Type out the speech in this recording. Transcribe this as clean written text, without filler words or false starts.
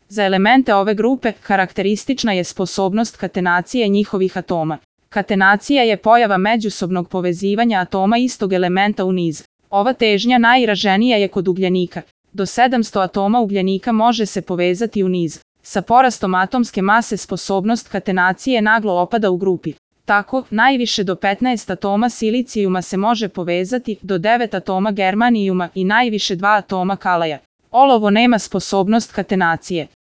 Za elemente ove grupe karakteristična je sposobnost katenacije njihovih atoma. Katenacija je pojava međusobnog povezivanja atoma istog elementa u niz. Ova težnja najizraženija je kod ugljenika. Do 700 atoma ugljenika može se povezati u niz. Sa porastom atomske mase sposobnost katenacije naglo opada u grupi. Tako, najviše do 15 atoma silicijuma se može povezati, do 9 atoma germanijuma i najviše 2 atoma kalaja. Olovo nema sposobnost katenacije.